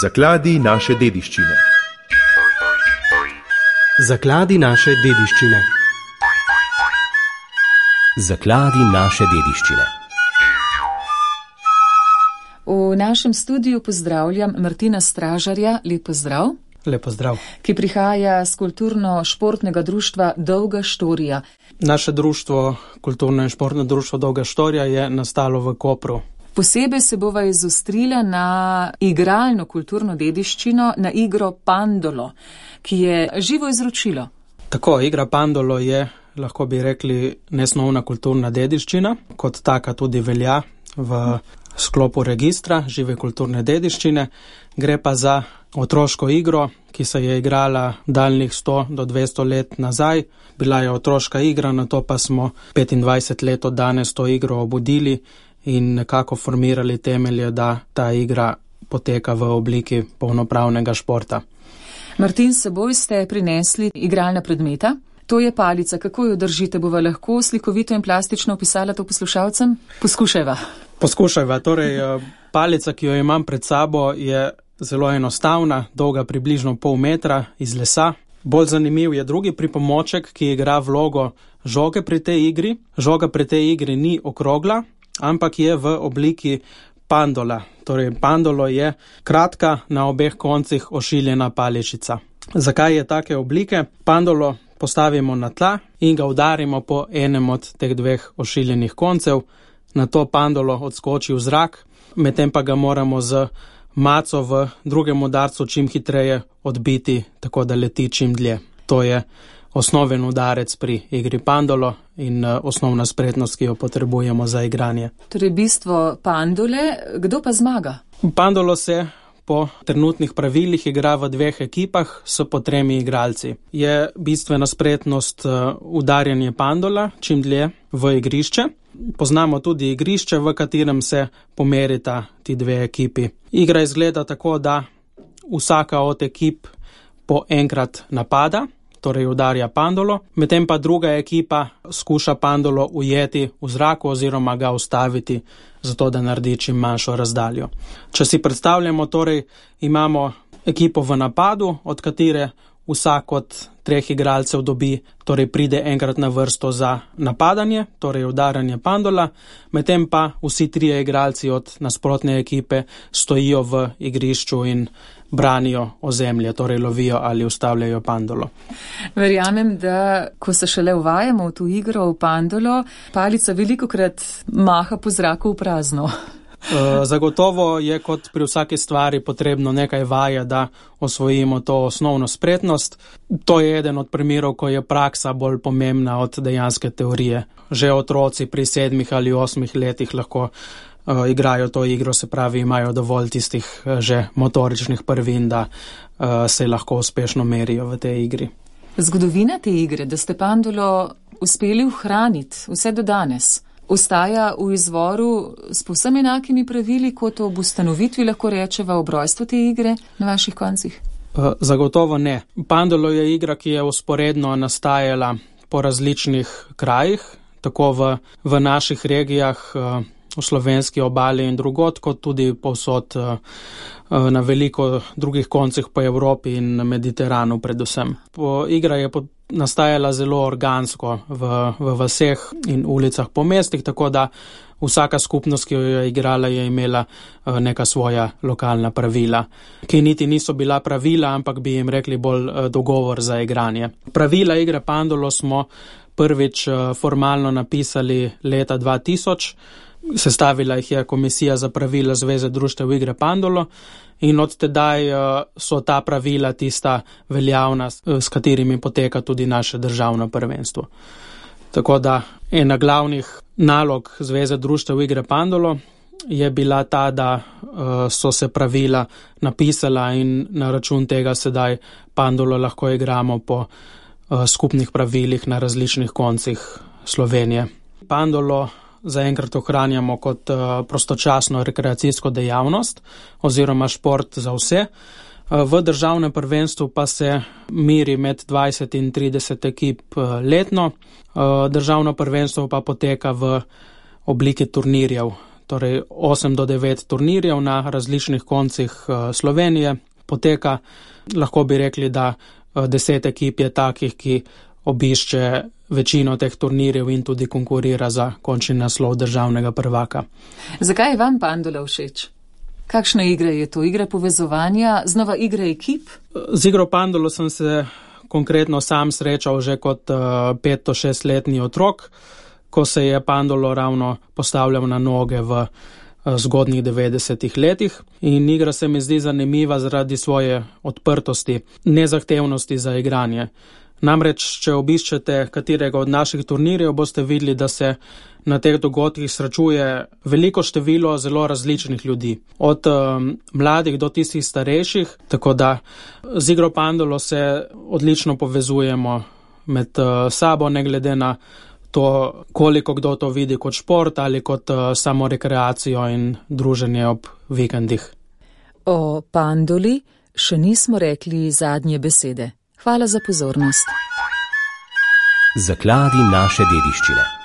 Zakladi naše dediščine. Zakladi naše dediščine. Zakladi naše dediščine. V našem studiu pozdravljam Martina Stražarja, lep pozdrav. Lep pozdrav. Ki prihaja z kulturno-športnega društva Dolga štorija. Naše društvo, kulturno in športno društvo Dolga štorija, je nastalo v Kopru. Posebej se bova izostrila na igralno kulturno dediščino, na igro Pandolo, ki je živo izročilo. Tako, igra Pandolo je, lahko bi rekli, nesnovna kulturna dediščina, kot taka tudi velja v sklopu registra žive kulturne dediščine. Gre pa za otroško igro, ki se je igrala daljnih 100 do 200 let nazaj. Bila je otroška igra, nato pa smo 25 let od danes to igro obudili in nekako formirali temelje, da ta igra poteka v obliki polnopravnega športa. Martin, s seboj ste prinesli igralna predmeta. To je palica. Kako jo držite? Bova lahko slikovito in plastično opisala to poslušalcem? Poskušajva. Torej, palica, ki jo imam pred sabo, je zelo enostavna, dolga približno pol metra, iz lesa. Bolj zanimiv je drugi pripomoček, ki igra vlogo žoge pri tej igri. Žoga pri tej igri ni okrogla, ampak je v obliki pandola. Torej, pandolo je kratka, na obeh koncih ošiljena paličica. Zakaj je take oblike? Pandolo postavimo na tla in ga udarimo po enem od teh dveh ošiljenih koncev. Nato pandolo odskoči v zrak, medtem pa ga moramo z maco v drugem udarcu čim hitreje odbiti, tako da leti čim dlje. To je osnoven udarec pri igri Pandolo in osnovna spretnost, ki jo potrebujemo za igranje. Torej, bistvo Pandole, kdo pa zmaga? Pandolo se po trenutnih pravilih igra v dveh ekipah s po 3 igralci. Je bistvena spretnost udarjanje Pandola čim dlje v igrišče. Poznamo tudi igrišče, v katerem se pomerita ti dve ekipi. Igra izgleda tako, da vsaka od ekip po enkrat napada, torej udarja Pandolo, medtem pa druga ekipa skuša Pandolo ujeti v zraku oziroma ga ustaviti, zato da naredi čim manjšo razdaljo. Če si predstavljamo, torej imamo ekipo v napadu, od katere vsak od 3 igralcev dobi, torej pride enkrat na vrsto za napadanje, torej udarjanje Pandola, medtem pa vsi 3 igralci od nasprotne ekipe stojijo v igrišču in branijo ozemlje, torej lovijo ali ustavljajo Pandolo. Verjamem, da ko se šele uvajamo v to igro, v Pandolo, palica velikokrat maha po zraku v prazno. Zagotovo je kot pri vsaki stvari potrebno nekaj vaje, da osvojimo to osnovno spretnost. To je eden od primerov, ko je praksa bolj pomembna od dejanske teorije. Že otroci pri 7 ali 8 letih lahko igrajo to igro, se pravi, imajo dovolj tistih že motoričnih prvin, da se lahko uspešno merijo v tej igri. Zgodovina te igre, da ste Pandolo uspeli ohraniti vse do danes, ostaja v izvoru s povsem enakimi pravili, kot ob ustanovitvi, lahko rečeva, ob rojstvu te igre na vaših koncih? Zagotovo ne. Pandolo je igra, ki je vzporedno nastajala po različnih krajih, tako v naših regijah, v slovenski obali in drugod, kot tudi povsod na veliko drugih koncih po Evropi in na Mediteranu predvsem. Igra je nastajala zelo organsko v vaseh in ulicah po mestih, tako da vsaka skupnost, ki jo je igrala, je imela neka svoja lokalna pravila, ki niti niso bila pravila, ampak bi jim rekli bolj dogovor za igranje. Pravila igre Pandolo smo prvič formalno napisali leta 2000, sestavila jih je Komisija za pravila Zveze društev igre Pandolo in od tedaj so ta pravila tista veljavna, s katerimi poteka tudi naše državno prvenstvo. Tako da ena glavnih nalog Zveze društev igre Pandolo je bila ta, da so se pravila napisala in na račun tega sedaj Pandolo lahko igramo po skupnih pravilih na različnih koncih Slovenije. Pandolo zaenkrat ohranjamo kot prostočasno rekreacijsko dejavnost oziroma šport za vse. V državnem prvenstvu pa se meri med 20 in 30 ekip letno. Državno prvenstvo pa poteka v obliki turnirjev, torej 8 do 9 turnirjev na različnih koncih Slovenije poteka. Lahko bi rekli, da 10 ekip je takih, ki obišče večino teh turnirjev in tudi konkurira za končni naslov državnega prvaka. Zakaj je vam Pandola všeč? Kakšna igra je to? Igra povezovanja, znova igra ekip? Z igro Pandolo sem se konkretno sam srečal že kot 5-6-letni otrok, ko se je Pandolo ravno postavljal na noge v zgodnjih 90-ih letih. In igra se mi zdi zanimiva zaradi svoje odprtosti, nezahtevnosti za igranje. Namreč, če obiščete katerega od naših turnirjev, boste videli, da se na teh dogodkih srečuje veliko število zelo različnih ljudi. Od mladih do tistih starejših, tako da z igro Pandolo se odlično povezujemo med sabo, ne glede na to, koliko kdo to vidi kot šport ali kot samo rekreacijo in druženje ob vikendih. O Pandoli še nismo rekli zadnje besede. Hvala za pozornost. Zakladi naše dediščine.